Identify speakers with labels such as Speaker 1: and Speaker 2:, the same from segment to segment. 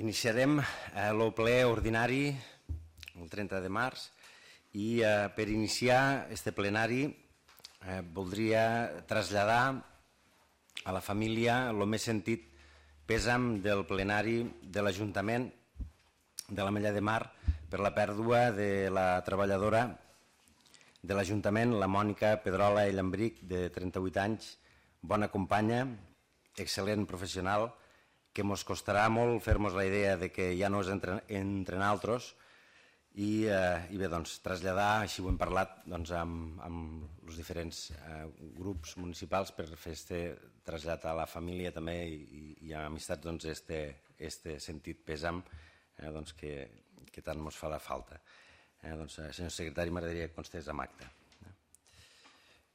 Speaker 1: Iniciarem el ple ordinari el 30 de març i per iniciar este plenari voldria traslladar a la família el més sentit pèsam del plenari de l'Ajuntament de l'Ametlla de Mar per la pèrdua de la treballadora de l'Ajuntament, la Mònica Pedrola i Llambric, de 38 anys, bona companya, excel·lent professional, que ens costarà molt fer-nos la idea de que ja no és entre nosaltres i bé, doncs, traslladar, així ho hem parlat amb els diferents grups municipals per fer aquest trasllat a la família també i a amistats este sentit pèsam que tant ens farà falta. Senyor secretari, m'agradaria que constés amb acte.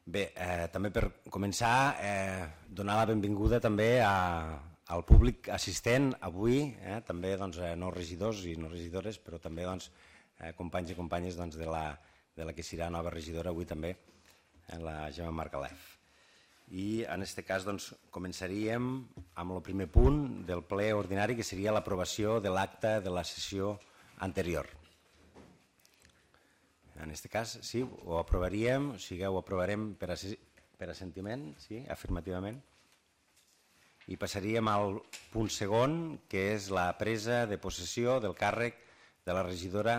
Speaker 1: Bé, també per començar, donar la benvinguda també al públic assistent avui, també no regidors i no regidores, però també companys i companyes de la que serà nova regidora avui també, la Gemma Margalef. I en aquest cas començaríem amb el primer punt del ple ordinari, que seria l'aprovació de l'acte de la sessió anterior. En aquest cas, sí, ho aprovaríem, o sigui, ho aprovarem per assentiment, sí, afirmativament. I passaríem al punt segon, que és la presa de possessió del càrrec de la regidora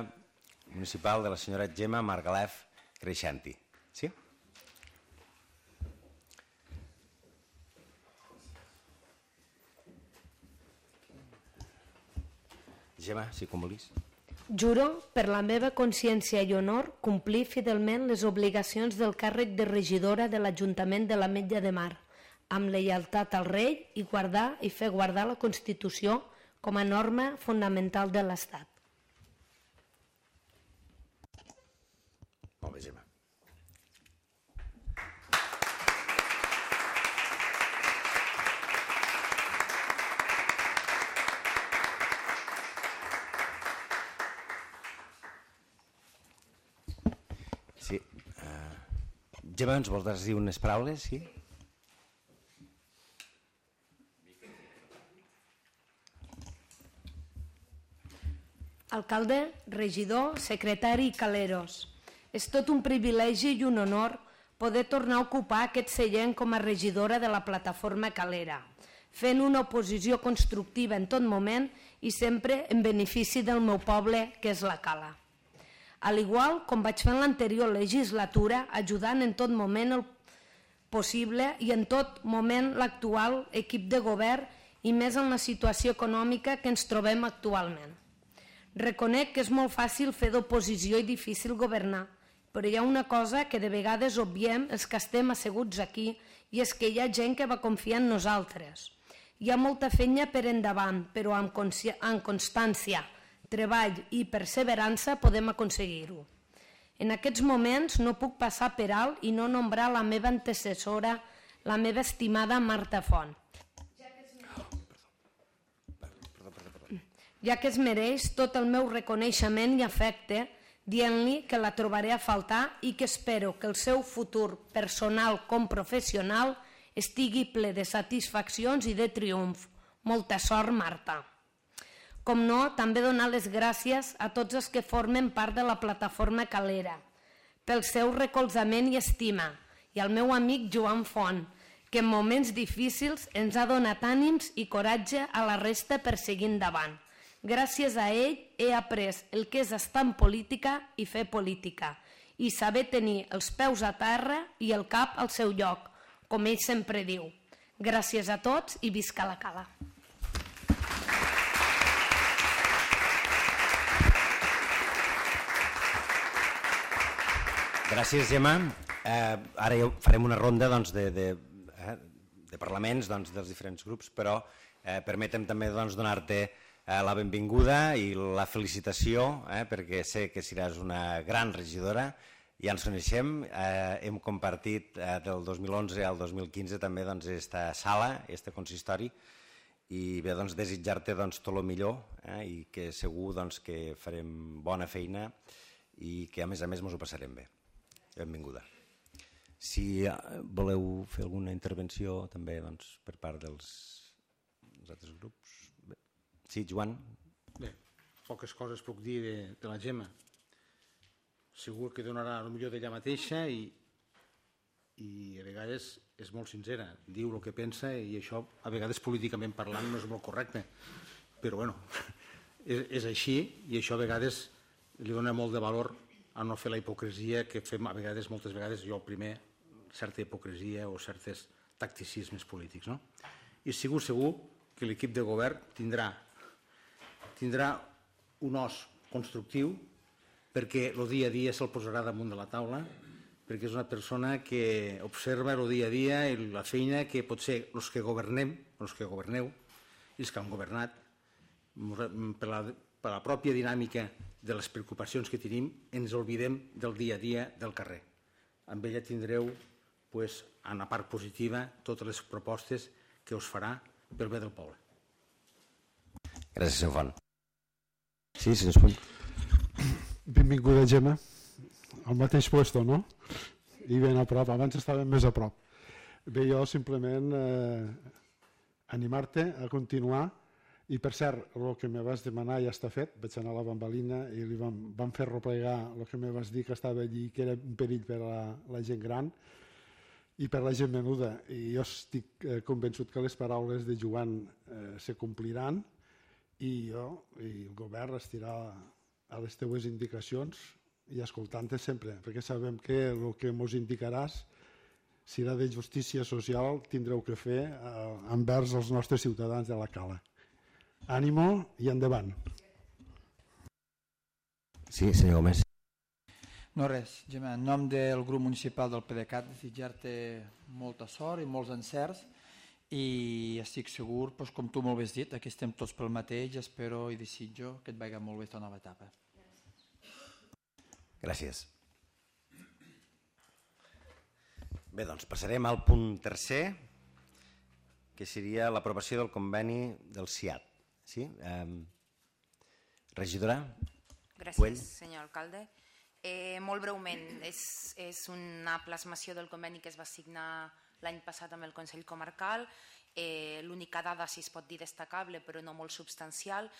Speaker 1: municipal de la senyora Gemma Margalef Creixanti. Sí? Gemma, si com vulguis.
Speaker 2: Juro, per la meva consciència i honor, complir fidelment les obligacions del càrrec de regidora de l'Ajuntament de l'Ametlla de Mar, amb lleialtat al rei i guardar i fer guardar la Constitució com a norma fonamental de l'Estat.
Speaker 1: Molt bé, Gemma. Sí. Gemma, ens vols dir unes paraules? Sí?
Speaker 2: Alcalde, regidor, secretari i caleros, és tot un privilegi i un honor poder tornar a ocupar aquest seient com a regidora de la plataforma Calera, fent una oposició constructiva en tot moment i sempre en benefici del meu poble, que és la Cala. Al igual com vaig fer en l'anterior legislatura, ajudant en tot moment el possible i en tot moment l'actual equip de govern i més en la situació econòmica que ens trobem actualment. Reconec que és molt fàcil fer d'oposició i difícil governar, però hi ha una cosa que de vegades obviem els que estem asseguts aquí i és que hi ha gent que va confiar en nosaltres. Hi ha molta feina per endavant, però amb constància, treball i perseverança podem aconseguir-ho. En aquests moments no puc passar per alt i no nombrar la meva antecessora, la meva estimada Marta Font, ja que es mereix tot el meu reconeixement i afecte, dient-li que la trobaré a faltar i que espero que el seu futur personal com professional estigui ple de satisfaccions i de triomf. Molta sort, Marta. Com no, també donar les gràcies a tots els que formen part de la plataforma Calera, pel seu recolzament i estima, i al meu amic Joan Font, que en moments difícils ens ha donat ànims i coratge a la resta per seguir endavant. Gràcies a ell he après el que és estar en política i fer política, i saber tenir els peus a terra i el cap al seu lloc, com ell sempre diu. Gràcies a tots i visca la Cala.
Speaker 1: Gràcies, Gemma. Ara ja farem una ronda de parlaments dels diferents grups, però permetem també donar-te la benvinguda i la felicitació, perquè sé que seràs una gran regidora. Ja ens coneixem, hem compartit del 2011 al 2015 també aquesta sala, aquest consistori, i bé, desitjar-te tot el millor i que segur que farem bona feina i que a més ens ho passarem bé. Benvinguda. Si voleu fer alguna intervenció també per part dels altres grups. Sí, Joan.
Speaker 3: poques coses puc dir de la Gemma. Segur que donarà el millor d'ella mateixa i a vegades és molt sincera, diu el que pensa i això a vegades políticament parlant no és molt correcte, però bueno, és així i això a vegades li dona molt de valor a no fer la hipocresia que fem a vegades, moltes vegades, jo el primer, certa hipocresia o certs tacticismes polítics. No? I segur que l'equip de govern tindrà un os constructiu perquè el dia a dia se'l posarà damunt de la taula, perquè és una persona que observa el dia a dia i la feina que potser els que governem, els que governeu i els que han governat, per la pròpia dinàmica de les preocupacions que tenim, ens oblidem del dia a dia del carrer. Amb ella tindreu, en la part positiva, totes les propostes que us farà pel bé del poble.
Speaker 1: Gràcies, senyor Font. Sí, senyor Puny.
Speaker 4: Benvinguda, Gemma. Al mateix puesto, no? I ben a prop. Abans estàvem més a prop. Bé, jo simplement animar-te a continuar. I per cert, el que me vas demanar ja està fet. Vaig anar a la bambalina i li vam fer replegar el que me vas dir que estava allí, que era un perill per a la gent gran i per la gent menuda. I jo estic convençut que les paraules de Joan se compliran i el govern estirà a les teues indicacions i escoltant-te sempre, perquè sabem que el que ens indicaràs serà de justícia social, tindreu que fer envers els nostres ciutadans de la Cala. Ànimo i endavant.
Speaker 1: Sí, senyor Gómez.
Speaker 5: No res, Gemma, en nom del grup municipal del PDeCAT desitjar-te molta sort i molts encerts i estic segur, com tu molt bé has dit, aquí estem tots pel mateix, espero i desitjo que et vagi molt bé aquesta nova etapa.
Speaker 1: Gràcies. Bé, doncs passarem al punt tercer, que seria l'aprovació del conveni del CIAT. Sí? Regidora?
Speaker 6: Gràcies, senyor alcalde. Molt breument, és una plasmació del conveni que es va signar l'any passat amb el Consell Comarcal. L'única dada, si es pot dir destacable, però no molt substancial,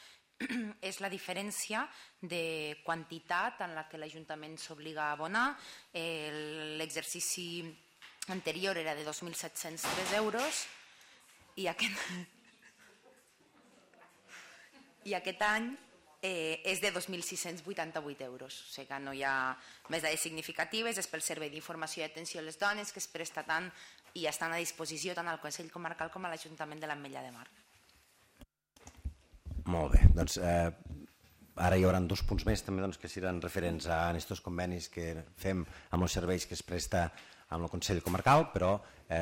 Speaker 6: és la diferència de quantitat en la que l'Ajuntament s'obliga a abonar. L'exercici anterior era de 2.703 euros i aquest any és de 2.688 euros. O sigui que no hi ha més dades significatives, és pel Servei d'Informació i Atenció a les Dones que es presta tant i estan a disposició tant al Consell Comarcal com a l'Ajuntament de l'Ametlla de Mar.
Speaker 1: Molt bé, doncs ara hi haurà dos punts més també que seran referents a aquests convenis que fem amb els serveis que es presta amb el Consell Comarcal, però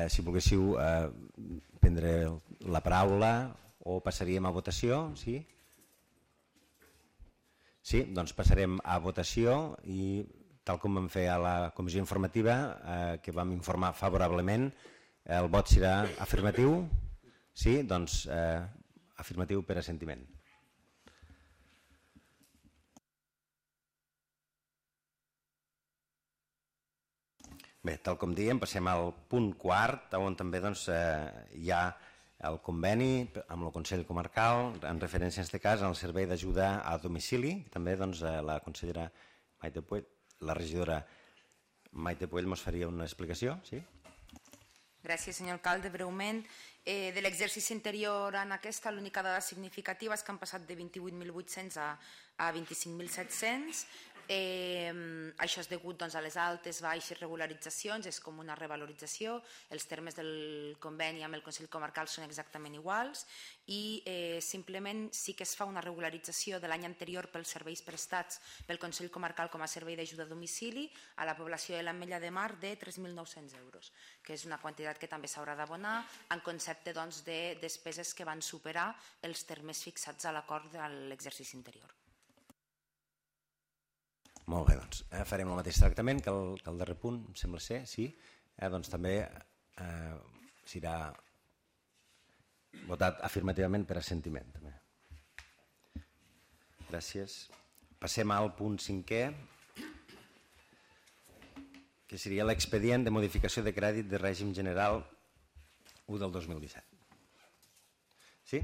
Speaker 1: si volguéssiu prendre la paraula o passaríem a votació, sí? Sí, doncs passarem a votació i tal com vam fer a la comissió informativa, que vam informar favorablement, el vot serà afirmatiu? Sí, doncs afirmatiu per assentiment. Bé, tal com dèiem, passem al punt quart, on també hi ha el conveni amb el Consell Comarcal, en referència en aquest cas al servei d'ajuda a domicili. També la consellera Maite Puell, la regidora Maite Puell ens faria una explicació. Sí?
Speaker 6: Gràcies, senyor alcalde. Breument, de l'exercici anterior en aquesta, l'única dada significativa és que han passat de 28.800 a 25.700. Això és degut a les altes, baixes regularitzacions, és com una revalorització. Els termes del conveni amb el Consell Comarcal són exactament iguals i simplement sí que es fa una regularització de l'any anterior pels serveis prestats pel Consell Comarcal com a servei d'ajuda a domicili a la població de l'Ametlla de Mar de 3.900 euros, que és una quantitat que també s'haurà d'abonar en concepte de despeses que van superar els termes fixats a l'acord de l'exercici anterior.
Speaker 1: Molt bé, doncs farem el mateix tractament que el darrer punt, em sembla ser, sí. Doncs també serà votat afirmativament per assentiment. Gràcies. Passem al punt 5è, que seria l'expedient de modificació de crèdit de règim general 1 del 2017. Sí?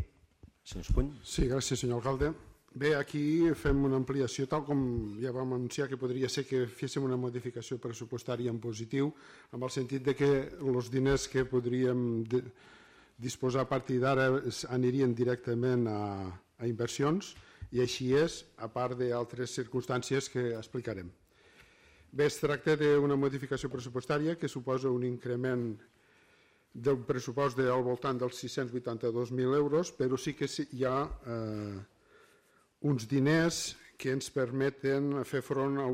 Speaker 1: Senyor Puny?
Speaker 4: Sí, gràcies, senyor alcalde. Bé, aquí fem una ampliació, tal com ja vam anunciar que podria ser que féssim una modificació pressupostària en positiu, amb el sentit de que els diners que podríem disposar a partir d'ara anirien directament a inversions, i així és, a part d'altres circumstàncies que explicarem. Bé, es tracta d'una modificació pressupostària que suposa un increment del pressupost al voltant dels 682.000 euros, però sí que hi ha uns diners que ens permeten fer front a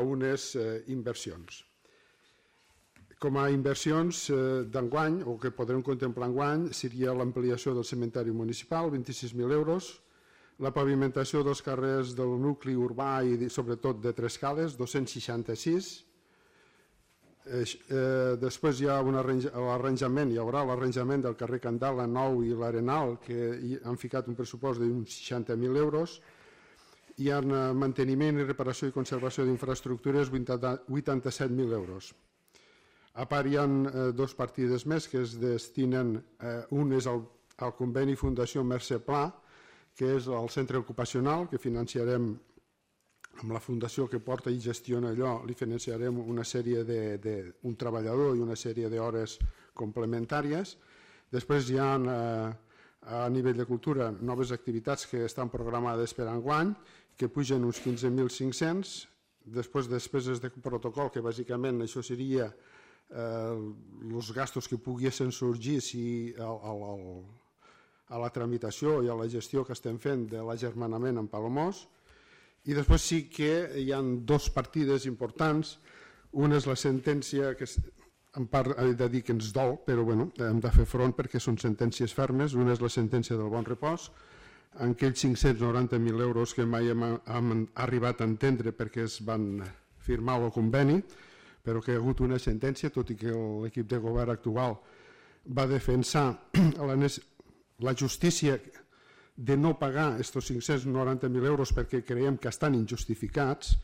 Speaker 4: unes inversions. Com a inversions d'enguany, o que podrem contemplar enguany, seria l'ampliació del cementeri municipal, 26.000 euros, la pavimentació dels carrers del nucli urbà i sobretot de Trescales, 266. Després hi ha l'arranjament, hi haurà l'arranjament del carrer Candala 9 i l'Arenal, que han ficat un pressupost d'uns 60.000 euros. Hi ha manteniment i reparació i conservació d'infraestructures, 87.000 euros. A part hi ha dues partides més que es destinen, un és al conveni Fundació Mercè Pla, que és el centre ocupacional, que financiarem amb la fundació que porta i gestiona allò, li financiarem una sèrie d'un treballador i una sèrie d'hores complementàries. Després hi ha a nivell de cultura noves activitats que estan programades per enguany, que pugen uns 15.500, després despeses de protocol, que bàsicament això seria els gastos que poguessin sorgir si a la tramitació i a la gestió que estem fent de l'agermanament amb Palamós. I després sí que hi ha dues partides importants. Una és la sentència, que en part he de dir que ens dol, però hem de fer front perquè són sentències fermes. Una és la sentència del Bon Repòs, en aquells 590.000 euros que mai hem arribat a entendre perquè es van firmar el conveni, però que hi ha hagut una sentència, tot i que l'equip de govern actual va defensar la justícia de no pagar aquests 590.000 euros perquè creiem que estan injustificats.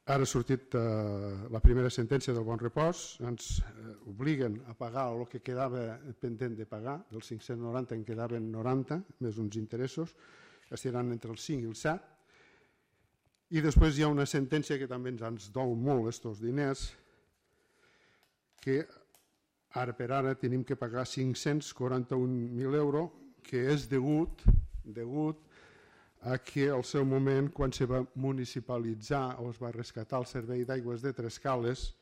Speaker 4: Ara ha sortit la primera sentència del Bon Repòs, ens obliguen a pagar el que quedava pendent de pagar, dels 590 en quedaven 90, més uns interessos, que estaran entre el 5 i el 7. I després hi ha una sentència que també ens dol molt aquests diners, que ara per ara tenim que pagar 541.000 euros, que és degut a que al seu moment, quan se va municipalitzar o es va rescatar el servei d'aigües de Trescales,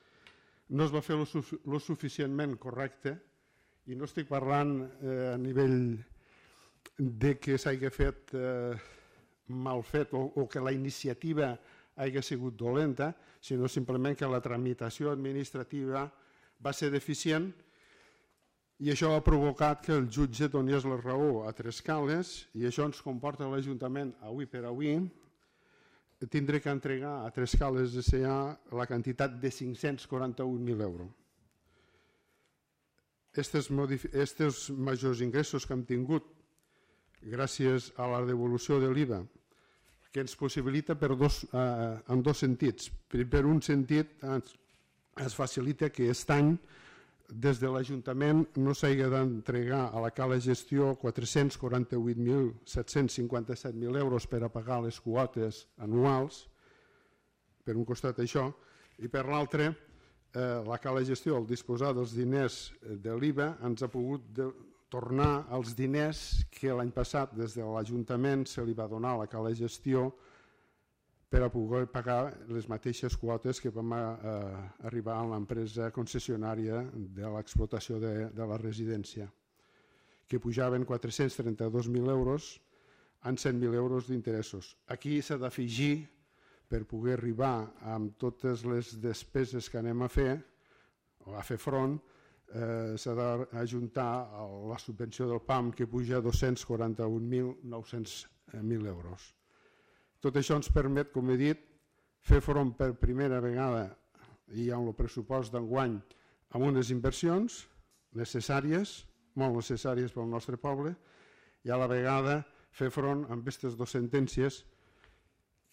Speaker 4: no es va fer lo suficientment correcte, i no estic parlant a nivell de que s'hagi fet mal fet o que la iniciativa hagi sigut dolenta, sinó simplement que la tramitació administrativa va ser deficient. I això ha provocat que el jutge donés la raó a Trescales, i això ens comporta a l'Ajuntament, avui per avui, tindré que entregar a Trescales S.A. la quantitat de 541.000 euros. Aquests majors ingressos que hem tingut gràcies a la devolució de l'IVA, que ens possibilita en dos sentits. Per un sentit, es facilita que aquest any des de l'Ajuntament no s'hagi d'entregar a la cala gestió 448.757.000 euros per a pagar les quotes anuals, per un costat això, i per l'altre, la cala gestió, al disposar dels diners de l'IVA, ens ha pogut tornar els diners que l'any passat des de l'Ajuntament se li va donar a la cala gestió per a poder pagar les mateixes quotes que vam arribar a l'empresa concessionària de l'explotació de la residència, que pujaven 432.000 euros en 100.000 euros d'interessos. Aquí s'ha d'afegir, per poder arribar amb totes les despeses que anem a fer, o a fer front, s'ha d'ajuntar la subvenció del PAM, que puja a 241.900.000 euros. Tot això ens permet, com he dit, fer front per primera vegada i amb el pressupost d'enguany amb unes inversions necessàries, molt necessàries pel nostre poble, i a la vegada fer front amb aquestes dues sentències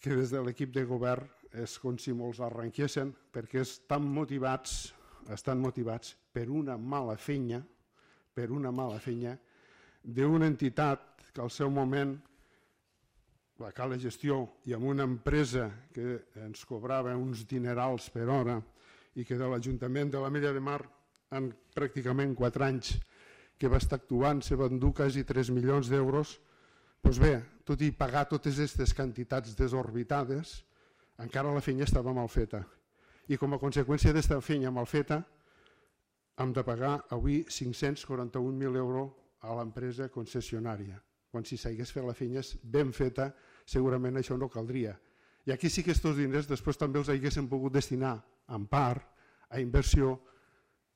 Speaker 4: que des de l'equip de govern és com si molts arrenquessin, perquè estan motivats per una mala feina d'una entitat que al seu moment la cala de gestió i amb una empresa que ens cobrava uns dinerals per hora i que de l'Ajuntament de l'Ametlla de Mar en pràcticament 4 anys que va estar actuant se van dur quasi 3 milions d'euros, doncs bé, tot i pagar totes aquestes quantitats desorbitades, encara la feina estava mal feta. I com a conseqüència d'esta feina mal feta, hem de pagar avui 541.000 euros a l'empresa concessionària. Quan si s'hagués fet la feina ben feta, segurament això no caldria. I aquí sí que aquests diners després també els haguéssim pogut destinar en part a inversió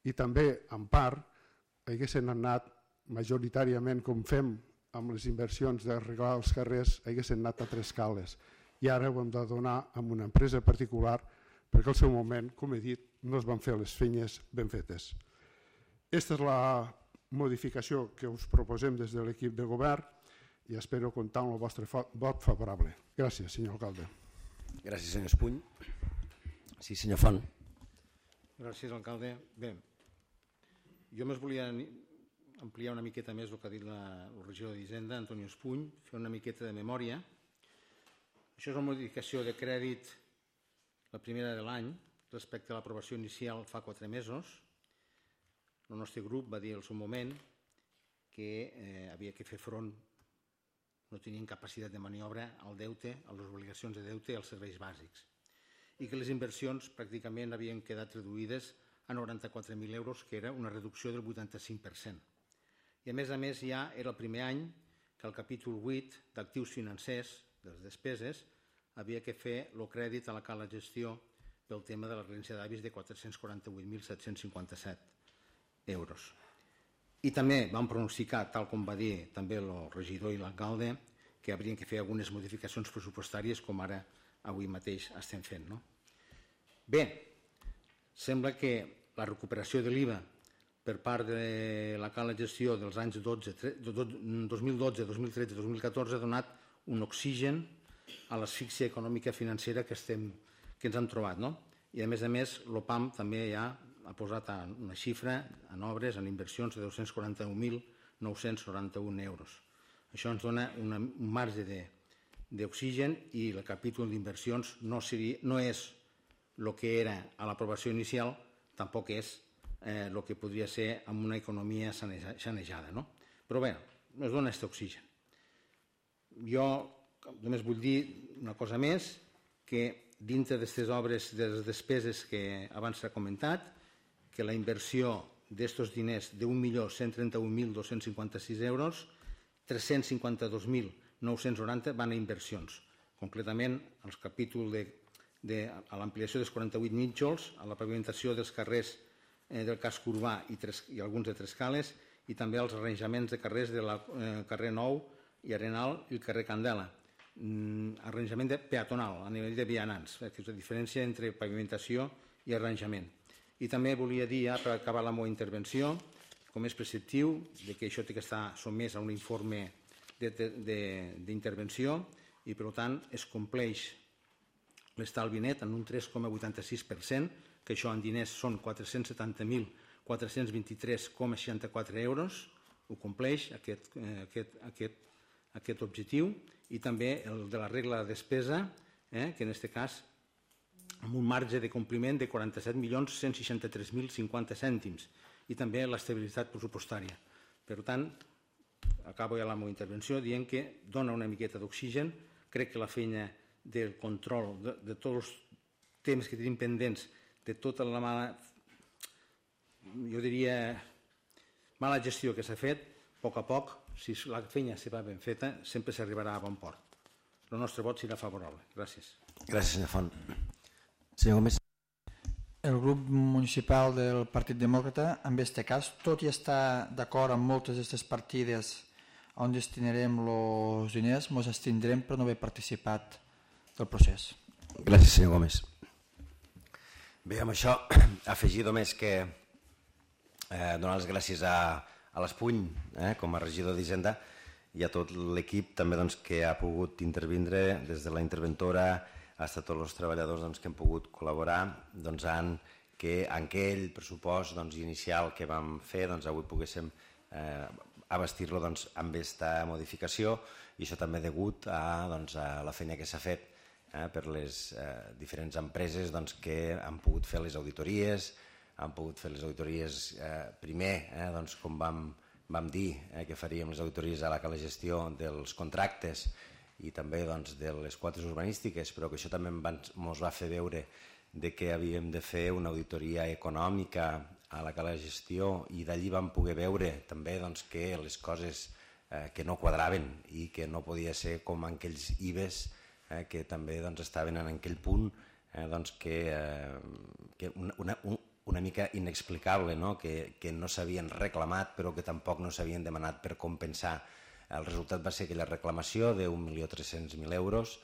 Speaker 4: i també en part haguessin anat majoritàriament, com fem amb les inversions d'arreglar els carrers, haguessin anat a 3 cales. I ara ho hem de donar a una empresa particular perquè al seu moment, com he dit, no es van fer les feines ben fetes. Aquesta és la modificació que us proposem des de l'equip de govern i espero comptar amb el vostre vot favorable. Gràcies, senyor alcalde.
Speaker 1: Gràcies, senyor Espuny. Sí, senyor Font.
Speaker 3: Gràcies, alcalde. Bé, jo més volia ampliar una miqueta més el que ha dit el regidor d'Hisenda, Antonio Espuny, fer una miqueta de memòria. Això és una modificació de crèdit, la primera de l'any, respecte a l'aprovació inicial fa 4 mesos. El nostre grup va dir al seu moment que havia que fer front, no tenien capacitat de maniobra al deute, a les obligacions de deute i als serveis bàsics, i que les inversions pràcticament havien quedat reduïdes a 94.000 euros, que era una reducció del 85%. I a més ja era el primer any que el capítol 8 d'actius financers, de les despeses, havia que fer el crèdit a la cala de gestió pel tema de la herència d'avis de 448.757 euros. I també vam pronosticar, tal com va dir també el regidor i l'alcalde, que haurien que fer algunes modificacions pressupostàries com ara avui mateix estem fent. Bé, sembla que la recuperació de l'IVA per part de la cala de gestió dels anys 2012, 2013 i 2014 ha donat un oxigen a l'asfíxia econòmica financera que ens hem trobat. I a més, l'OPAM també ja ha posat una xifra en obres, en inversions de 241.991 euros. Això ens dona un marge d'oxigen i el capítol d'inversions no és el que era a l'aprovació inicial, tampoc és el que podria ser amb una economia sanejada. Però bé, ens dona aquest oxigen. Jo només vull dir una cosa més, que dintre d'aquestes obres de les despeses que abans s'ha comentat, que la inversió d'aquests diners d'1.131.256 euros, 352.990 van a inversions. Concretament, al capítol de l'ampliació dels 48 nínxols, a la pavimentació dels carrers del casc urbà i alguns de 3 cales, i també als arranjaments de carrers del carrer Nou i Arenal i el carrer Candela. Arranjament peatonal a nivell de vianants, que és la diferència entre pavimentació i arranjament. I també volia dir, per acabar la meva intervenció, com és preceptiu, que això té que estar sotmès a un informe d'intervenció i, per tant, es compleix l'estalvi net en un 3,86%, que això en diners són 470.423,64 euros, ho compleix aquest objectiu, i també el de la regla de despesa, que en aquest cas amb un marge de compliment de 47.163.050 cèntims, i també l'estabilitat pressupostària. Per tant, acabo ja la meva intervenció dient que dona una miqueta d'oxigen. Crec que la feina del control de tots els temes que tenim pendents, de tota la mala, jo diria, mala gestió que s'ha fet, a poc a poc, si la feina se va ben feta, sempre s'arribarà a bon port. El nostre vot serà favorable. Gràcies.
Speaker 1: Gràcies, senyor Font. Senyor Gómez.
Speaker 5: El grup municipal del Partit Demòcrata, en aquest cas, tot i estar d'acord amb moltes d'aquestes partides on destinarem els diners, ens abstindrem per no haver participat del procés.
Speaker 1: Gràcies, senyor Gómez. Bé, amb això, afegir només que donar les gràcies a l'Espuny, com a regidor d'Hisenda, i a tot l'equip també que ha pogut intervindre des de la interventora fins a tots els treballadors que hem pogut col·laborar en aquell pressupost inicial que vam fer, avui poguéssim abastir-lo amb aquesta modificació i això també degut a la feina que s'ha fet per les diferents empreses que han pogut fer les auditories, primer, com vam dir que faríem les auditories a la gestió dels contractes i també de les quotes urbanístiques, però que això també ens va fer veure que havíem de fer una auditoria econòmica a la gestió i d'allí vam poder veure també que les coses que no quadraven i que no podia ser com aquells IBEs que també estaven en aquell punt que una mica inexplicable, que no s'havien reclamat però que tampoc no s'havien demanat per compensar. El resultat va ser aquella reclamació de 1.300.000 euros.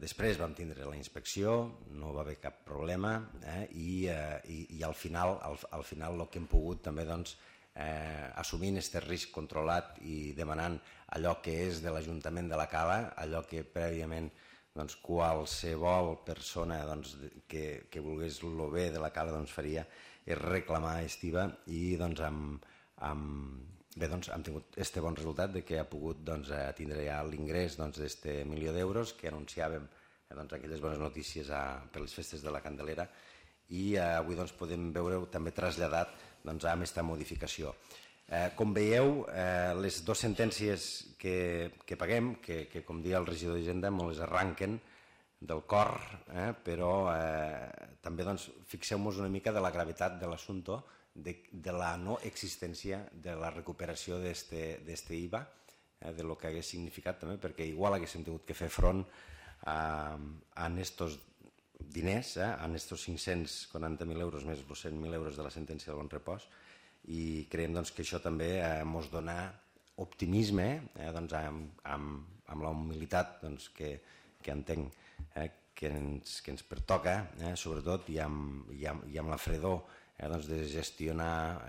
Speaker 1: Després vam tindre la inspecció, no va haver cap problema i al final el que hem pogut també assumint aquest risc controlat i demanant allò que és de l'Ajuntament de la Cala, allò que prèviament qualsevol persona que volgués el bé de la Cala faria, és reclamar aquest IVA i hem tingut aquest bon resultat que ha pogut tindre ja l'ingrés d'aquest 1.000.000 d'euros que anunciàvem aquelles bones notícies per les festes de la Candelera i avui podem veure també traslladat amb aquesta modificació. Com veieu, les dues sentències que paguem, que com deia el regidor d'Hisenda, me les arranquen del cor, però també fixeu-vos una mica de la gravetat de l'assumpte, de la no existència de la recuperació d'aquest IVA, de lo que hagués significat també, perquè igual haguéssim tingut que fer front a aquests diners, a aquests 540.000 euros més els 100.000 euros de la sentència del bon repòs, i creiem que això també ens dona optimisme amb la humilitat que entenc que ens pertoca, sobretot, i amb la fredor de gestionar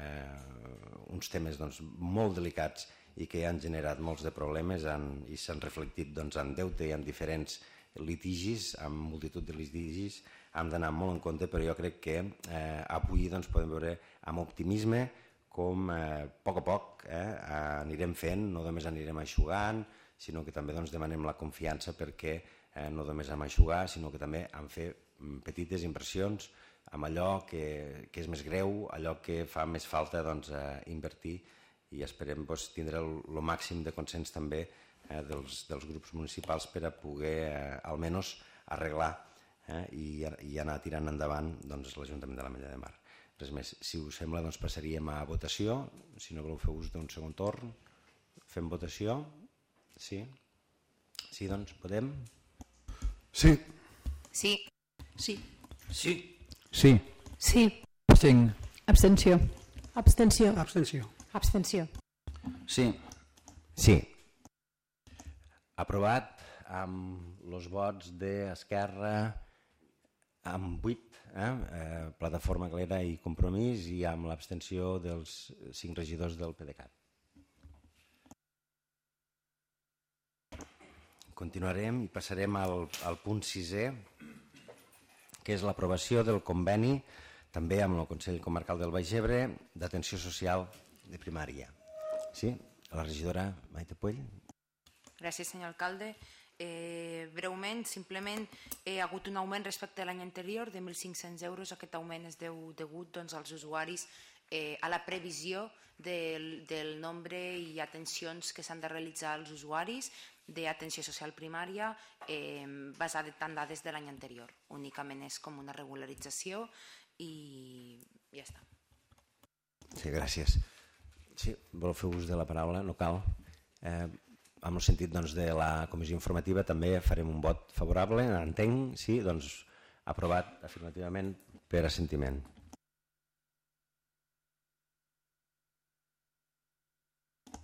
Speaker 1: uns temes molt delicats i que han generat molts de problemes i s'han reflectit en deute i en diferents litigis, amb multitud de litigis. Hem d'anar molt en compte, però jo crec que avui podem veure amb optimisme com a poc anirem fent, no només anirem eixugant, sinó que també demanem la confiança perquè no només hem eixugar, sinó que també hem fer petites inversions amb allò que és més greu, allò que fa més falta invertir, i esperem tindre el màxim de consens també dels grups municipals per a poder almenys arreglar i anar tirant endavant l'Ajuntament de l'Ametlla de Mar. Res més. Si us sembla, passaríem a votació. Si no voleu fer ús d'un segon torn, fem votació. Sí? Sí, podem?
Speaker 4: Sí.
Speaker 6: Sí.
Speaker 7: Sí.
Speaker 3: Sí.
Speaker 5: Sí.
Speaker 2: Sí.
Speaker 5: Abstenc.
Speaker 7: Abstenció.
Speaker 8: Abstenció.
Speaker 3: Abstenció.
Speaker 8: Abstenció.
Speaker 5: Sí.
Speaker 1: Sí. Aprovat amb els vots d'Esquerra, amb 8, Plataforma Calera i Compromís, i amb l'abstenció dels 5 regidors del PDeCAT. Continuarem i passarem al punt 6è, que és l'aprovació del conveni, també amb el Consell Comarcal del Baix Ebre, d'atenció social de primària. Sí? La regidora Maite Puell.
Speaker 6: Gràcies, senyor alcalde. Breument, simplement, hi ha hagut un augment respecte a l'any anterior de 1.500 euros. Aquest augment és degut als usuaris a la previsió del nombre i atencions que s'han de realitzar als usuaris d'atenció social primària basada en dades de l'any anterior. Únicament és com una regularització i ja està.
Speaker 1: Sí, gràcies. Sí, voleu fer ús de la paraula? No cal. En el sentit de la comissió informativa també farem un vot favorable, entenc, sí, aprovat afirmativament per assentiment.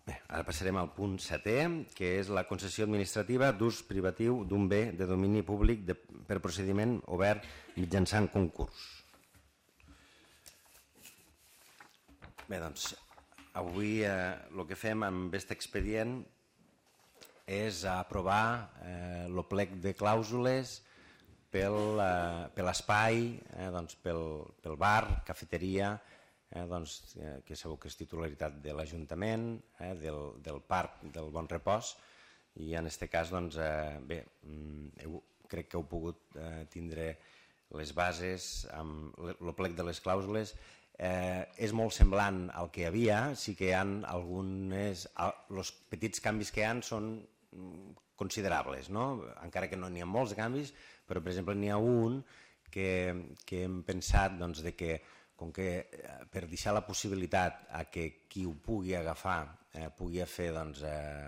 Speaker 1: Bé, ara passarem al punt 7è, que és la concessió administrativa d'ús privatiu d'un bé de domini públic per procediment obert mitjançant concurs. Bé, avui el que fem amb aquest expedient és aprovar el plec de clàusules per l'espai, pel bar, cafeteria, que sabeu que és titularitat de l'Ajuntament, del Parc del Bon Repòs, i en aquest cas, doncs, bé, crec que heu pogut tindre les bases, amb el plec de les clàusules. És molt semblant al que hi havia, sí que hi ha algunes... Els petits canvis que hi ha són considerables, no? Encara que no n'hi ha molts canvis, però, per exemple, n'hi ha un que hem pensat doncs, que, com que per deixar la possibilitat a que qui ho pugui agafar pugui fer doncs,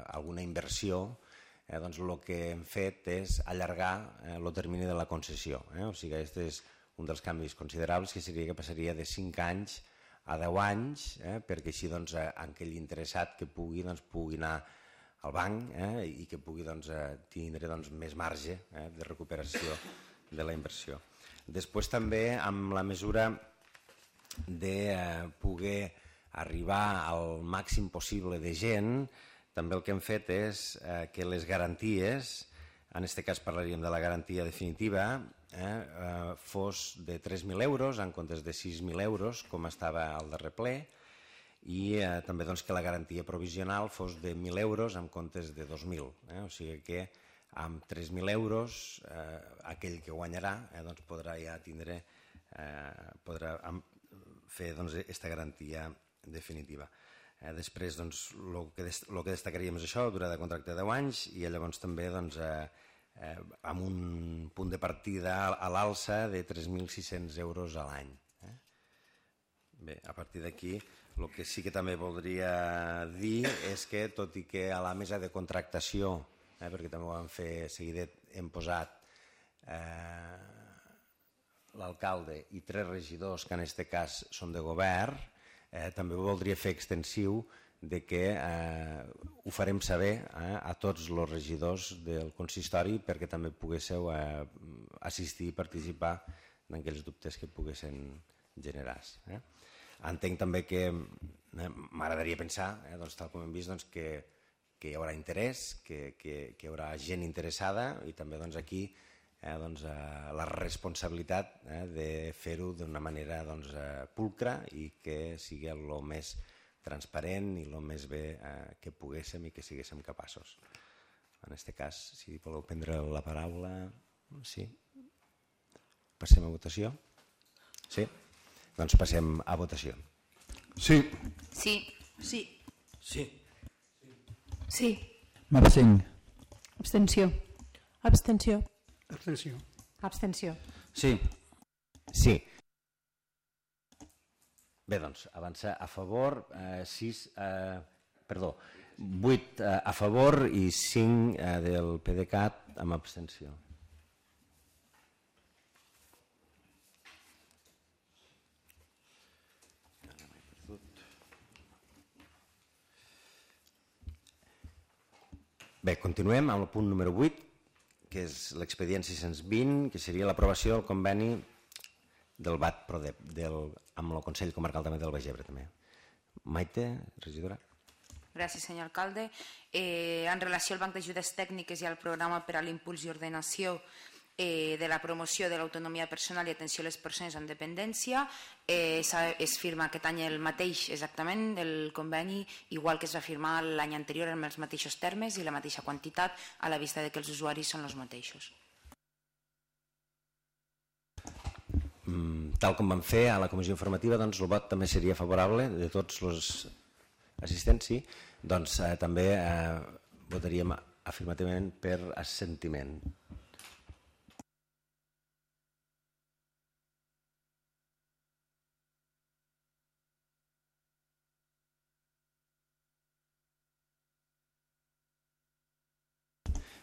Speaker 1: alguna inversió, doncs el que hem fet és allargar el termini de la concessió. O sigui, aquest és un dels canvis considerables, que seria que passaria de 5 anys a 10 anys, perquè així doncs, aquell interessat que pugui anar al banc i que pugui tindre més marge de recuperació de la inversió. Després també amb la mesura de poder arribar al màxim possible de gent, també el que hem fet és que les garanties, en aquest cas parlaríem de la garantia definitiva, fos de 3.000 euros en comptes de 6.000 euros, com estava al darrer ple, i també que la garantia provisional fos de 1.000 euros en comptes de 2.000. O sigui que amb 3.000 euros aquell que guanyarà podrà ja tindre, podrà fer aquesta garantia definitiva. Després el que destacaríem és això, durada de contracte de 10 anys, i llavors també amb un punt de partida a l'alça de 3.600 euros a l'any. Bé, a partir d'aquí el que sí que també voldria dir és que, tot i que a la mesa de contractació, perquè també ho vam fer seguidet, hem posat l'alcalde i 3 regidors que en aquest cas són de govern, també ho voldria fer extensiu de que ho farem saber a tots els regidors del consistori perquè també poguéssiu assistir i participar en aquells dubtes que poguessin generar-se. Entenc també que m'agradaria pensar, tal com hem vist, que hi haurà interès, que hi haurà gent interessada i també aquí la responsabilitat de fer-ho d'una manera pulcra i que sigui el més transparent i el més bé que poguéssim i que siguéssim capaços. En aquest cas, si voleu prendre la paraula, sí. Passem a votació? Sí? Doncs passem a votació.
Speaker 4: Sí.
Speaker 6: Sí.
Speaker 2: Sí.
Speaker 3: Sí.
Speaker 2: Sí.
Speaker 5: M'abstenc.
Speaker 2: Abstenció.
Speaker 7: Abstenció.
Speaker 3: Abstenció.
Speaker 2: Abstenció.
Speaker 3: Sí.
Speaker 1: Sí. Bé, doncs, avança a favor, 8 a favor i 5 del PDeCAT amb abstenció. Bé, continuem amb el punt número 8, que és l'expedient 620, que seria l'aprovació del conveni del BAT-PRODEP, amb el Consell Comarcal també del Baix Ebre. Maite, regidora.
Speaker 6: Gràcies, senyor alcalde. En relació al Banc d'Ajudes Tècniques i al programa per a l'impuls i ordenació de la promoció de l'autonomia personal i atenció a les persones amb dependència, es firma aquest any el mateix exactament, el conveni, igual que es va firmar l'any anterior amb els mateixos termes i la mateixa quantitat, a la vista que els usuaris són els mateixos.
Speaker 1: Tal com vam fer a la comissió informativa, doncs el vot també seria favorable de tots els assistents, sí. Doncs també votaríem afirmativament per assentiment.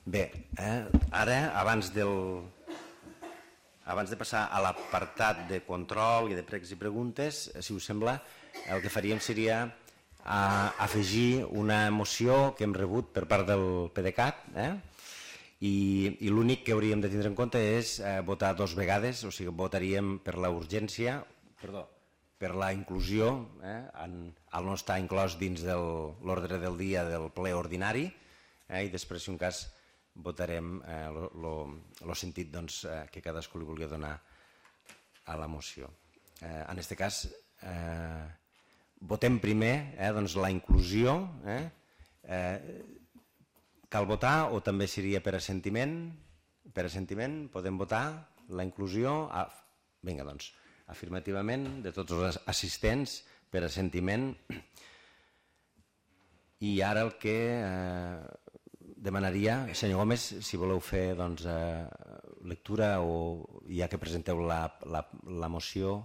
Speaker 1: Bé, ara, abans de passar a l'apartat de control i de pregs i preguntes, si us sembla, el que faríem seria afegir una moció que hem rebut per part del PDeCAT i l'únic que hauríem de tindre en compte és votar 2 vegades, o sigui, votaríem per la urgència, per la inclusió, al no estar inclòs dins de l'ordre del dia del ple ordinari, i després, si un cas, votarem el sentit que cadascú li vulgui donar a la moció. En aquest cas, votem primer la inclusió. cal votar o també seria per assentiment? Per assentiment podem votar la inclusió? Vinga, doncs, afirmativament de tots els assistents per assentiment. I ara el que demanaria, senyor Gómez, si voleu fer lectura o ja que presenteu la moció.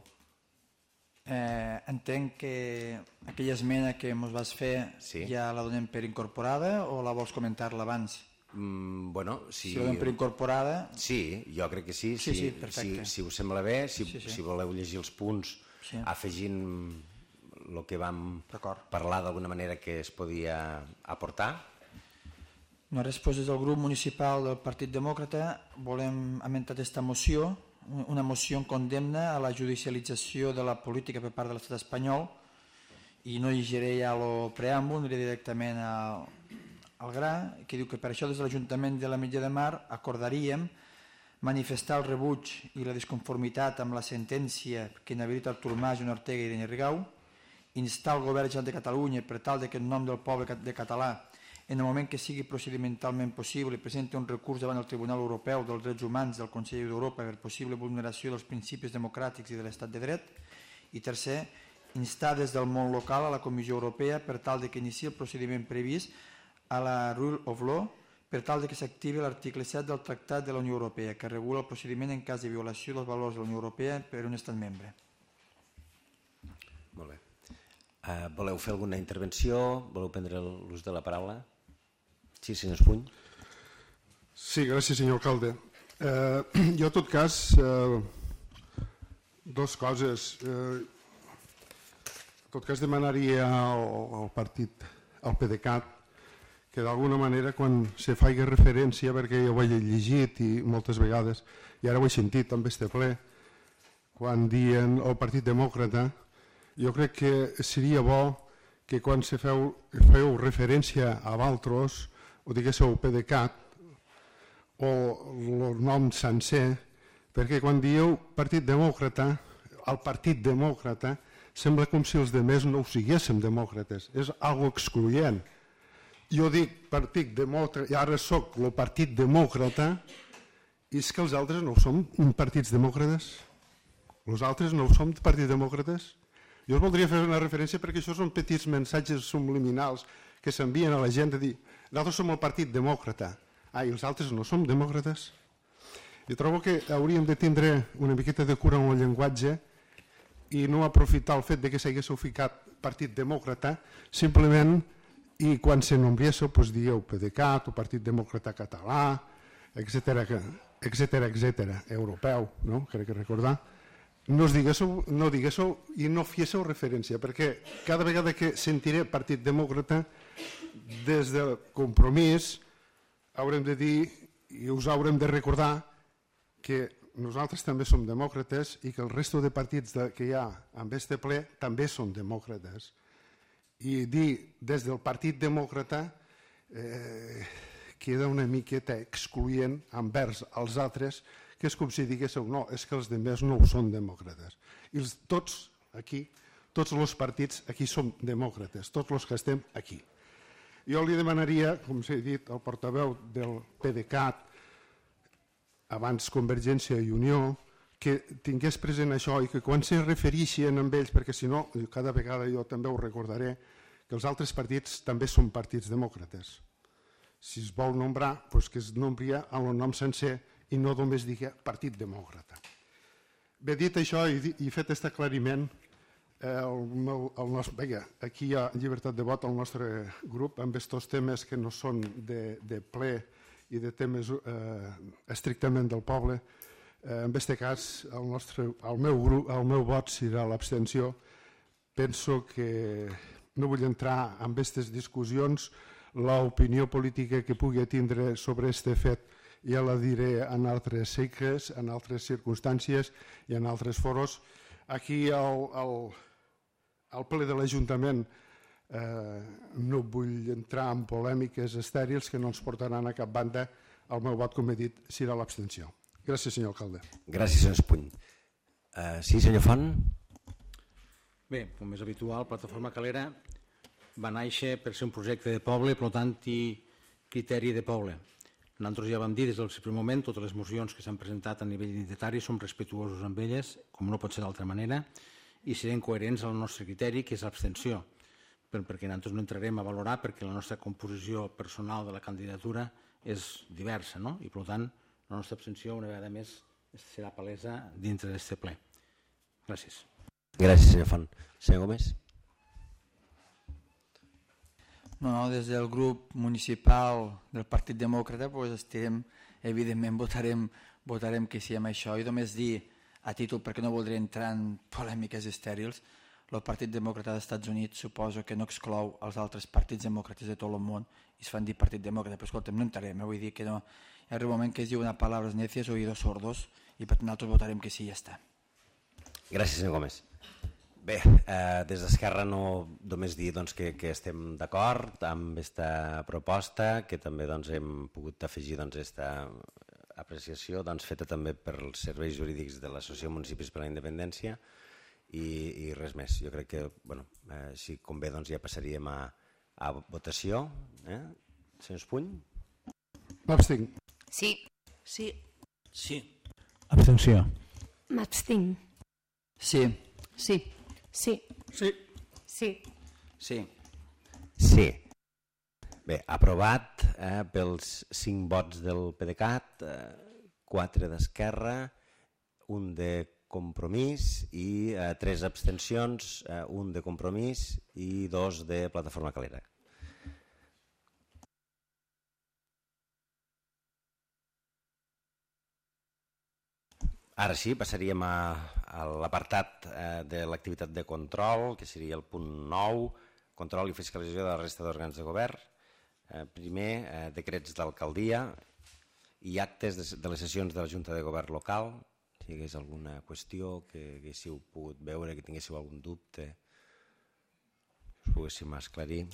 Speaker 5: Entenc que aquella esmena que ens vas fer ja la donem per incorporada o la vols comentar-la abans?
Speaker 1: Bueno, si
Speaker 5: la donem per incorporada...
Speaker 1: Sí, jo crec que sí.
Speaker 5: Sí, perfecte.
Speaker 1: Si us sembla bé, si voleu llegir els punts afegint el que vam parlar d'alguna manera que es podia aportar.
Speaker 5: Nosaltres, des del grup municipal del Partit Demòcrata, volem amentar aquesta moció, una moció en condemna a la judicialització de la política per part de l'estat espanyol, i no llegiré ja el preàmbul, aniré directament al gra, que diu que per això des de l'Ajuntament de l'Ametlla de Mar acordaríem manifestar el rebuig i la disconformitat amb la sentència que inhabilita Artur Mas, Joan Ortega i Irene Rigau, instar el govern general de Catalunya per tal que en nom del poble de català, en el moment que sigui procedimentalment possible, presenti un recurs davant el Tribunal Europeu dels Drets Humans del Consell d'Europa per possible vulneració dels principis democràtics i de l'estat de dret. I tercer, instar des del món local a la Comissió Europea per tal que iniciï el procediment previst a la Rule of Law per tal que s'activi l'article 7 del Tractat de la Unió Europea, que regula el procediment en cas de violació dels valors de la Unió Europea per un estat membre.
Speaker 1: Molt bé. Voleu fer alguna intervenció? Voleu prendre l'ús de la paraula? Sí, senyor Espuny.
Speaker 4: Sí, gràcies, senyor alcalde. Jo, en tot cas, dues coses. En tot cas, demanaria al partit, al PDeCAT, que d'alguna manera, quan se faci referència, perquè jo ho he llegit i moltes vegades, i ara ho he sentit també este ple, quan diuen el Partit Demòcrata, jo crec que seria bo que quan se feu referència a Valtros, o diguéssiu PDeCAT, o el nom sencer, perquè quan dieu Partit Demòcrata, el Partit Demòcrata, sembla com si els altres no ho siguéssim demòcrates, és algo excloent. Jo dic Partit Demòcrata, i ara soc el Partit Demòcrata, i és que els altres no som partits demòcrates? Els altres no som partits demòcrates? Jo us voldria fer una referència perquè això són petits mensatges subliminals que s'envien a la gent de dir nosaltres som el Partit Demòcrata, i els altres no som demòcrates? Jo trobo que hauríem de tindre una miqueta de cura amb el llenguatge i no aprofitar el fet que s'haguéssiu ficat Partit Demòcrata simplement i quan se nombriéssiu dieu PDeCAT o Partit Demòcrata Català, etcètera, europeu, no? Crec que recordar. No diguéssiu i no fiéssiu referència, perquè cada vegada que sentiré Partit Demòcrata, des del Compromís, haurem de dir i us haurem de recordar que nosaltres també som demòcrates i que el resto de partits que hi ha en este ple també són demòcrates. I dir des del Partit Demòcrata queda una miqueta excloent envers els altres, que és com si diguéssiu no, és que els altres no ho són demòcrates. I tots aquí, tots els partits aquí som demòcrates, tots els que estem aquí. Jo li demanaria, com s'ha dit, al portaveu del PDeCAT, abans Convergència i Unió, que tingués present això i que quan se refereixen amb ells, perquè si no, cada vegada jo també ho recordaré, que els altres partits també són partits demòcrates. Si es vol nombrar, doncs que es nombria amb el nom sencer i no només digui Partit Demòcrata. Bé, dit això i fet aquest aclariment, aquí hi ha llibertat de vot al nostre grup amb aquests temes que no són de ple i de temes estrictament del poble. En aquest cas, el meu vot serà l'abstenció. Penso que no vull entrar en aquestes discussions. L'opinió política que pugui tindre sobre aquest fet ja la diré en altres cicles, en altres circumstàncies i en altres foros. Aquí al ple de l'Ajuntament no vull entrar en polèmiques estèrils que no ens portaran a cap banda. El meu vot, com he dit, serà l'abstenció. Gràcies, senyor alcalde.
Speaker 1: Gràcies, senyor Espuny. Sí, senyor Font?
Speaker 3: Bé, com és habitual, Plataforma Calera va néixer per ser un projecte de poble, per tant, criteri de poble. Nosaltres ja vam dir des del primer moment, totes les mocions que s'han presentat a nivell identitari som respectuosos amb elles, com no pot ser d'altra manera, i serem coherents al nostre criteri, que és l'abstenció, perquè nosaltres no entrarem a valorar perquè la nostra composició personal de la candidatura és diversa, no? I per tant la nostra abstenció una vegada més serà palesa dintre d'aquest ple. Gràcies.
Speaker 1: Gràcies, senyor Font. Senyor Gómez.
Speaker 5: No, des del grup municipal del Partit Demòcrata evidentment votarem que sí amb això, i només dir a títol, perquè no voldria entrar en polèmiques estèrils, el Partit Demòcrata dels Estats Units suposo que no exclou els altres partits demòcrates de tot el món i es fan dir Partit Demòcrata, però escolta'm, no entrarem, vull dir que no, hi ha un moment que es diu una paraules necias, oídos sordos, i per tant nosaltres votarem que sí i ja està.
Speaker 1: Gràcies, senyor Gómez. Bé, des d'Esquerra només dir que estem d'acord amb aquesta proposta, que també hem pogut afegir aquesta apreciació feta també pels serveis jurídics de l'Associació Municipis per la Independència i res més. Jo crec que, si convé, ja passaríem a votació. Senyor Espuny?
Speaker 4: M'abstinc.
Speaker 6: Sí.
Speaker 2: Sí.
Speaker 3: Sí. Abstenció.
Speaker 2: M'abstinc.
Speaker 5: Sí.
Speaker 2: Sí. Sí.
Speaker 3: Sí.
Speaker 2: Sí.
Speaker 5: Sí.
Speaker 1: Sí. Bé, aprovat pels 5 vots del PDeCAT, 4 d'Esquerra, 1 de Compromís i 3 abstencions, 1 de Compromís i 2 de Plataforma Calera. Ara sí, passaríem a l'apartat de l'activitat de control, que seria el punt 9, control i fiscalització de la resta d'òrgans de govern. Primer, decrets d'alcaldia i actes de les sessions de la Junta de Govern local. Si hi hagués alguna qüestió que haguéssiu pogut veure, que tinguéssiu algun dubte, us poguéssim esclarir.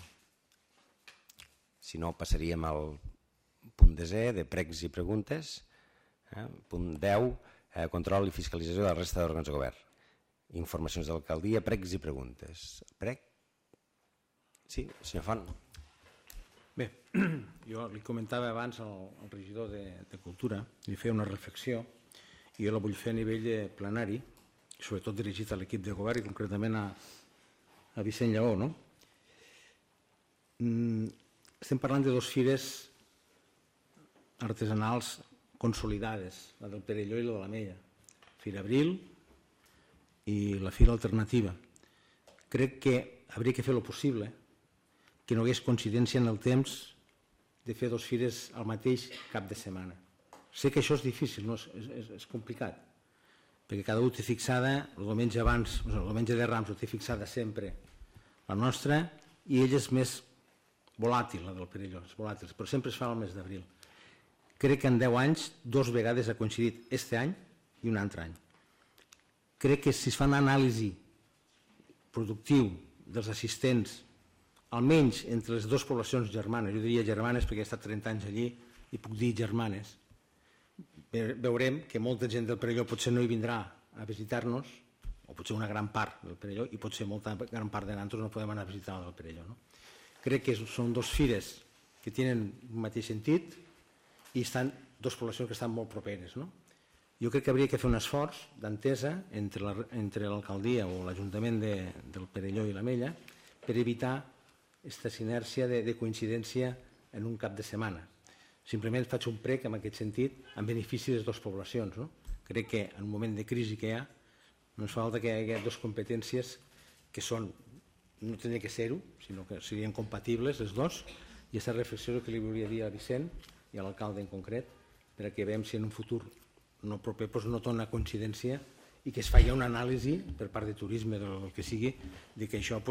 Speaker 1: Si no, passaríem al punt 10, de pregs i preguntes. Punt 10, control i fiscalització de la resta d'òrgans de govern. Informacions d'alcaldia, pregs i preguntes. Preg? Sí, senyor Font.
Speaker 3: Bé, jo li comentava abans al regidor de Cultura, li feia una reflexió, i jo la vull fer a nivell plenari, sobretot dirigit a l'equip de govern i concretament a Vicent Lleó. Estem parlant de 2 fires artesanals consolidades, la del Perelló i la de l'Ametlla, Fira Abril i la Fira Alternativa. Crec que hauria que fer el possible que no hi hagués coincidència en el temps de fer 2 fires al mateix cap de setmana. Sé que això és difícil, és complicat, perquè cada un té fixada, el diumenge abans, el diumenge de Rams ho té fixada sempre la nostra, i ell és més volàtil, la del Perelló, és volàtil, però sempre es fa al mes d'abril. Crec que en 10 anys 2 vegades ha coincidit este any i un altre any. Crec que si es fa una anàlisi productiu dels assistents, almenys entre les 2 poblacions germanes, jo diria germanes perquè he estat 30 anys allí i puc dir germanes, veurem que molta gent del Perelló potser no hi vindrà a visitar-nos, o potser una gran part del Perelló, i potser molta gran part de nosaltres no podem anar a visitar del Perelló. Crec que són 2 fires que tenen un mateix sentit i estan 2 poblacions que estan molt properes. Jo crec que hauria de fer un esforç d'entesa entre l'alcaldia o l'Ajuntament del Perelló i l'Ametlla per evitar aquesta sinèrgia de coincidència en un cap de setmana. Simplement faig un prec en aquest sentit en benefici de les 2 poblacions. Crec que en un moment de crisi que hi ha no ens falta que hi hagi 2 competències que són, no tenia que ser-ho, sinó que serien compatibles les 2, i aquesta reflexió que li volia dir a Vicent i a l'alcalde en concret, perquè veiem si en un futur no proper no té una coincidència i que es faci una anàlisi per part de turisme del que sigui, de que això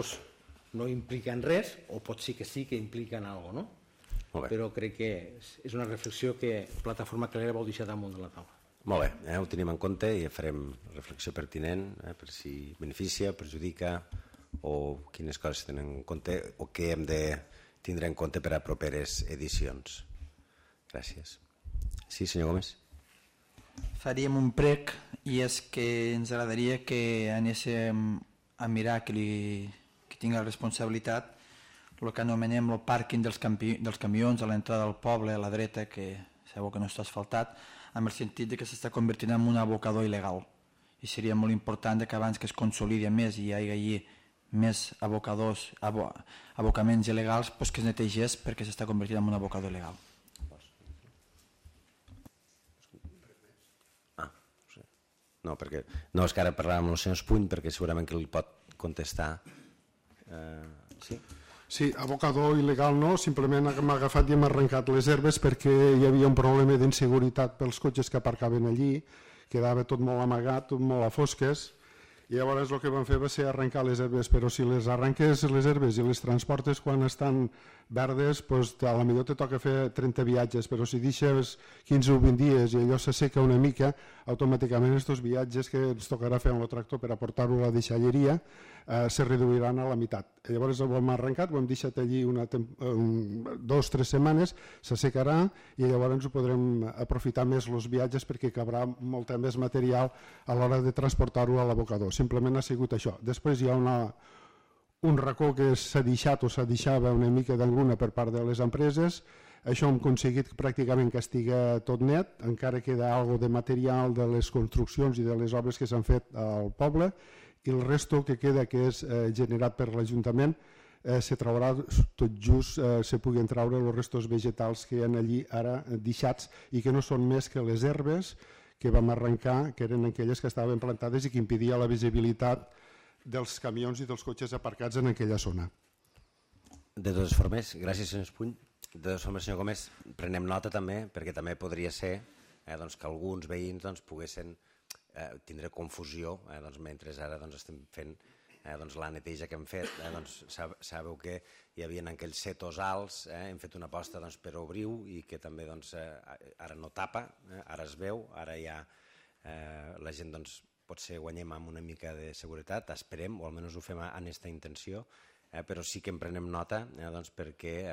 Speaker 3: no implica en res, o pot ser que sí que implica en alguna cosa, però crec que és una reflexió que Plataforma Calera vol deixar damunt de la taula.
Speaker 1: Molt bé, ho tenim en compte i farem reflexió pertinent per si beneficia, perjudica o quines coses tenen en compte o què hem de tindre en compte per a properes edicions. Gràcies. Sí, senyor Gómez.
Speaker 5: Faríem un prec i és que ens agradaria que anéssim a mirar que tingui la responsabilitat el que anomenem el pàrquing dels camions a l'entrada del poble, a la dreta, que sabeu que no està asfaltat, amb el sentit que s'està convertint en un abocador il·legal. I seria molt important que abans que es consolidi més i hi hagi més abocaments il·legals, que es netegés perquè s'està convertint en un abocador il·legal.
Speaker 1: No, és que ara parlàvem amb el senyor Espuny perquè segurament que li pot contestar. Sí?
Speaker 4: Sí, abocador il·legal no, simplement hem agafat i hem arrencat les herbes perquè hi havia un problema d'inseguretat pels cotxes que aparcaven allí, quedava tot molt amagat, tot molt a fosques, i llavors el que vam fer va ser arrencar les herbes, però si les arrenques les herbes i les transportes quan estan verdes, doncs a la millor te toca fer 30 viatges, però si deixes 15 o 20 dies i allò s'asseca una mica, automàticament aquests viatges que ens tocarà fer amb el tractor per aportar-ho a la deixalleria se reduiran a la meitat. Llavors ho hem arrencat, ho hem deixat allí 2 o 3 setmanes, s'assecarà i llavors ens ho podrem aprofitar més els viatges perquè cabrà molta més material a l'hora de transportar-ho a l'abocador. Simplement ha sigut això. Després hi ha un racó que s'ha deixat o s'ha deixava una mica d'engruna per part de les empreses. Això hem aconseguit pràcticament que estigui tot net, encara queda alguna de material de les construccions i de les obres que s'han fet al poble, i el resto que queda, que és generat per l'Ajuntament, se traurà tot just, se puguin traure els restos vegetals que hi ha allí ara deixats i que no són més que les herbes que vam arrencar, que eren aquelles que estaven plantades i que impedia la visibilitat dels camions i dels cotxes aparcats en aquella zona.
Speaker 1: De totes formes, gràcies senyor Espuny. De totes formes, senyor Gómez, prenem nota també, perquè també podria ser que alguns veïns poguessin tindre confusió mentre ara estem fent la neteja que hem fet. Sabeu que hi havia aquells setos alts, hem fet una aposta per obrir-ho i que també ara no tapa, ara es veu, ara ja la gent potser guanyem amb una mica de seguretat, esperem, o almenys ho fem amb aquesta intenció, però sí que en prenem nota perquè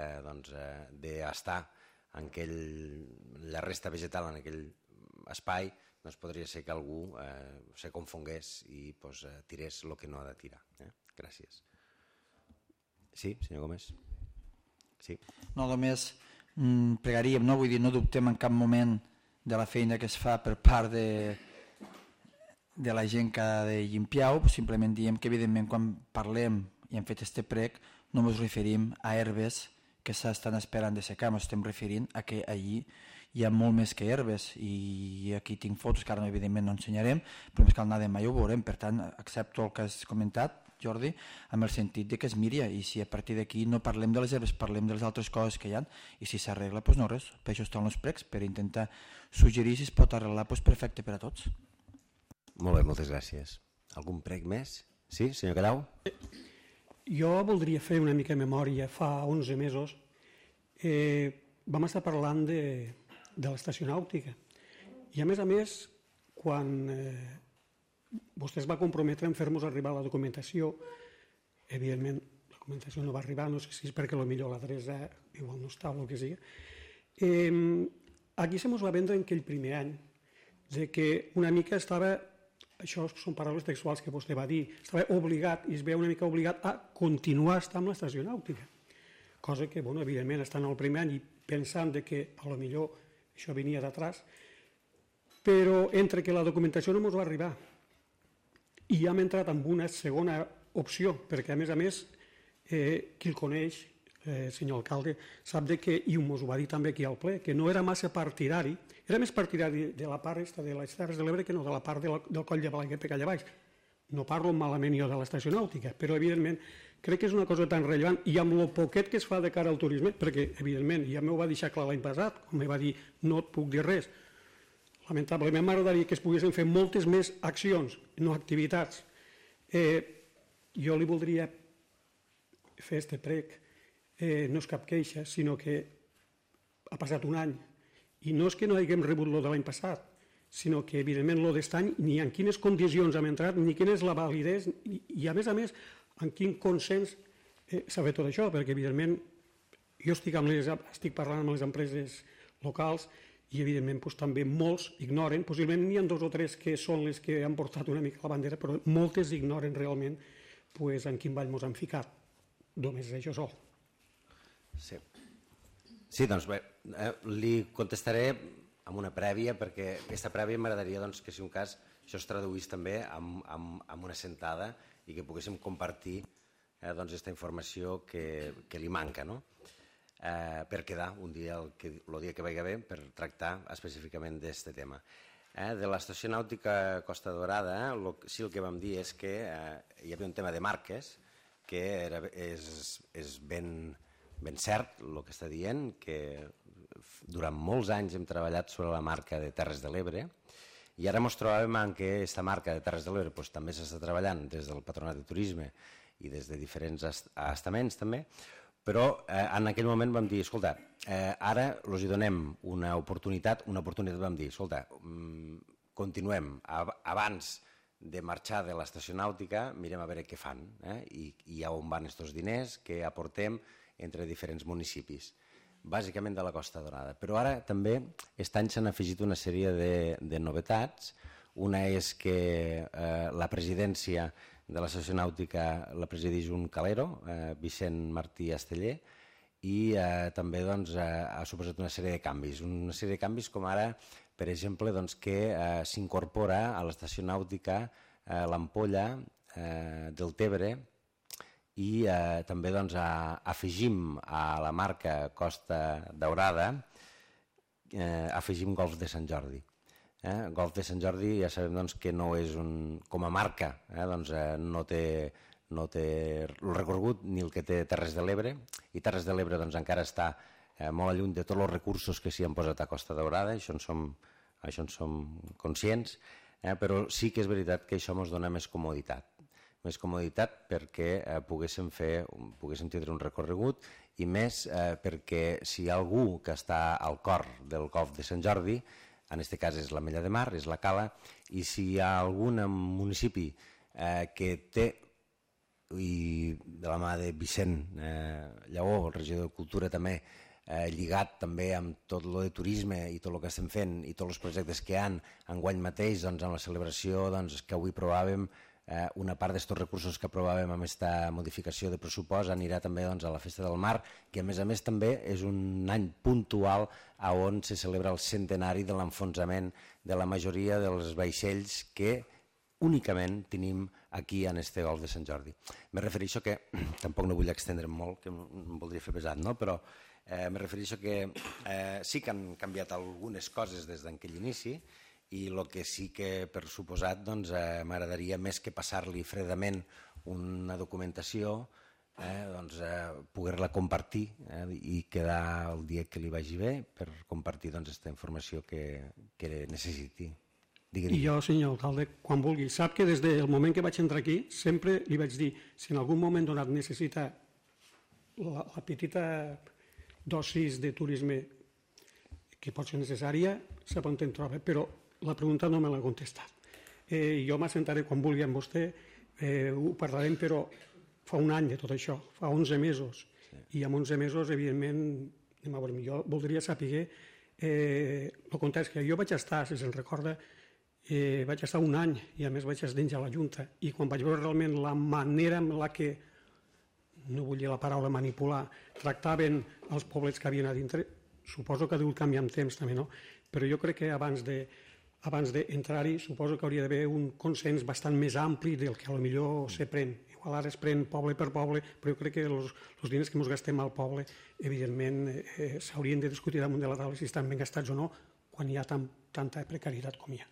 Speaker 1: d'estar en la resta vegetal en aquell espai podria ser que algú se confongués i tirés el que no ha de tirar. Gràcies. Sí, senyor Gómez? Sí.
Speaker 5: No, només pregaríem, vull dir, no dubtem en cap moment de la feina que es fa per part de la gent que ha de limpiar-ho, simplement diem que evidentment quan parlem i hem fet este prec no ens referim a herbes que s'estan esperant de secar, ens estem referint a que allí hi ha molt més que herbes i aquí tinc fotos que ara evidentment no ensenyarem, però més que al anar de mai ho veurem, per tant accepto el que has comentat, Jordi, amb el sentit de que es miri i si a partir d'aquí no parlem de les herbes, parlem de les altres coses que hi ha i si s'arregla, doncs no res, per això estan els precs, per intentar suggerir si es pot arreglar perfecte per a tots.
Speaker 1: Molt bé, moltes gràcies. Algun prec més? Sí, senyor Cadau?
Speaker 7: Jo voldria fer una mica de memòria. Fa 11 mesos vam estar parlant de l'estació nàutica i a més, quan vostè es va comprometre en fer-nos arribar la documentació, evidentment la documentació no va arribar, no sé si és perquè potser l'adreça igual no està o el que sigui. Aquí se mos va vendre en aquell primer any de que una mica estava, això són paraules textuals que vostè va dir, estava obligat i es veu una mica obligat a continuar estant amb l'estació nàutica, cosa que, evidentment, estant al primer any i pensant que potser això venia d'atrás, però entre que la documentació no ens va arribar i hem entrat en una segona opció, perquè a més, qui el coneix, senyor alcalde, sap que, i ens ho va dir també aquí al ple, que no era massa partidari, era més partidari de la part de les Terres de l'Ebre que no de la part del Coll de Balaguer per allà baix. No parlo malament jo de l'estació nàutica, però evidentment crec que és una cosa tan rellevant i amb el poquet que es fa de cara al turisme, perquè evidentment ja m'ho va deixar clar l'any passat, quan me va dir no et puc dir res. Lamentablement m'agradaria que es poguessin fer moltes més accions, no activitats. Jo li voldria fer este prec, no és cap queixa, sinó que ha passat un any i no és que no haguem rebut lo de l'any passat, sinó que evidentment lo d'est any ni en quines condicions hem entrat, ni quina és la validesa i a més, en quin consens s'ha fet tot això, perquè evidentment jo estic parlant amb les empreses locals i evidentment també molts ignoren, possiblement n'hi ha 2 o 3 que són les que han portat una mica la bandera, però moltes ignoren realment en quin ball ens han ficat. Només és això sol.
Speaker 1: Sí, doncs bé, li contestaré amb una prèvia, perquè aquesta prèvia m'agradaria que, si un cas, això es traduís també amb una sentada i que poguéssim compartir aquesta informació que li manca, per quedar un dia, el dia que vagi bé, per tractar específicament d'aquest tema. De l'estació nàutica Costa Daurada, sí, el que vam dir és que hi havia un tema de marques, que és ben cert el que està dient, que durant molts anys hem treballat sobre la marca de Terres de l'Ebre i ara ens trobàvem en què aquesta marca de Terres de l'Ebre també s'està treballant des del Patronat de Turisme i des de diferents estaments també, però en aquell moment vam dir, escolta, ara els donem una oportunitat vam dir, escolta, continuem, abans de marxar de l'estació nàutica, mirem a veure què fan i on van aquests diners que aportem entre diferents municipis, bàsicament de la Costa Daurada. Però ara també aquest any s'han afegit una sèrie de novetats. Una és que la presidència de l'estació nàutica la presideix un calero, Vicent Martí Esteller, i també ha suposat una sèrie de canvis. Una sèrie de canvis com ara, per exemple, que s'incorpora a l'estació nàutica l'ampolla del Tebre i també afegim a la marca Costa Daurada afegim Golf de Sant Jordi. Golf de Sant Jordi ja sabem que no és com a marca, no té el recorregut ni el que té Terres de l'Ebre, i Terres de l'Ebre encara està molt lluny de tots els recursos que s'hi han posat a Costa Daurada, això en som conscients, però sí que és veritat que això ens dona més comoditat perquè poguéssim tindre un recorregut, i més perquè si hi ha algú que està al cor del Golf de Sant Jordi, en aquest cas és l'Ametlla de Mar, és la Cala, i si hi ha algun municipi que té, i de la mà de Vicent Lleó, el regidor de Cultura també, lligat també amb tot el de turisme i tot el que estem fent i tots els projectes que hi ha enguany mateix, amb la celebració que avui provàvem, una part d'aquests recursos que aprovàvem amb aquesta modificació de pressupost anirà també a la Festa del Mar, que a més també és un any puntual on se celebra el centenari de l'enfonsament de la majoria dels vaixells que únicament tenim aquí en este Golf de Sant Jordi. Me refereixo que, tampoc no vull extendre'm molt, que em voldria fer pesat, però me refereixo que sí que han canviat algunes coses des d'aquell inici, i el que sí que, per suposat, m'agradaria, més que passar-li fredament una documentació, poder-la compartir i quedar el dia que li vagi bé per compartir aquesta informació que necessiti.
Speaker 7: I jo, senyor alcalde, quan vulgui, sap que des del moment que vaig entrar aquí sempre li vaig dir, si en algun moment donat necessita la petita dosis de turisme que pot ser necessària, sap on em troba, però la pregunta no me l'ha contestat. Jo m'assentaré quan vulgui amb vostè, ho parlarem, però fa un any de tot això, fa 11 mesos, i en 11 mesos, evidentment, jo voldria saber el context, que jo vaig estar, si se'n recorda, vaig estar un any, i a més vaig estar dins a la Junta, i quan vaig veure realment la manera amb la que, no vull dir la paraula manipular, tractaven els poblets que havien a dintre, suposo que ha degut canviar amb temps també, no? Però jo crec que abans d'entrar-hi suposo que hauria d'haver un consens bastant més ampli del que potser se pren. Igual ara es pren poble per poble, però jo crec que els diners que ens gastem al poble, evidentment, s'haurien de discutir damunt de la taula si estan ben gastats o no, quan hi ha tanta precarietat com hi ha.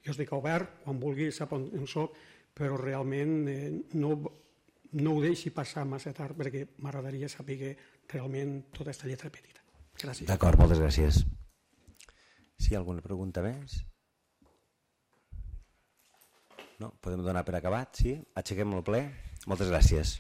Speaker 7: Jo estic obert, quan vulgui sap on soc, però realment no ho deixi passar massa tard, perquè m'agradaria saber realment tota aquesta lletra petita. Gràcies.
Speaker 1: D'acord, moltes gràcies. Si hi ha alguna pregunta més? No? Podem donar per acabat, sí? Aixequem el ple. Moltes gràcies.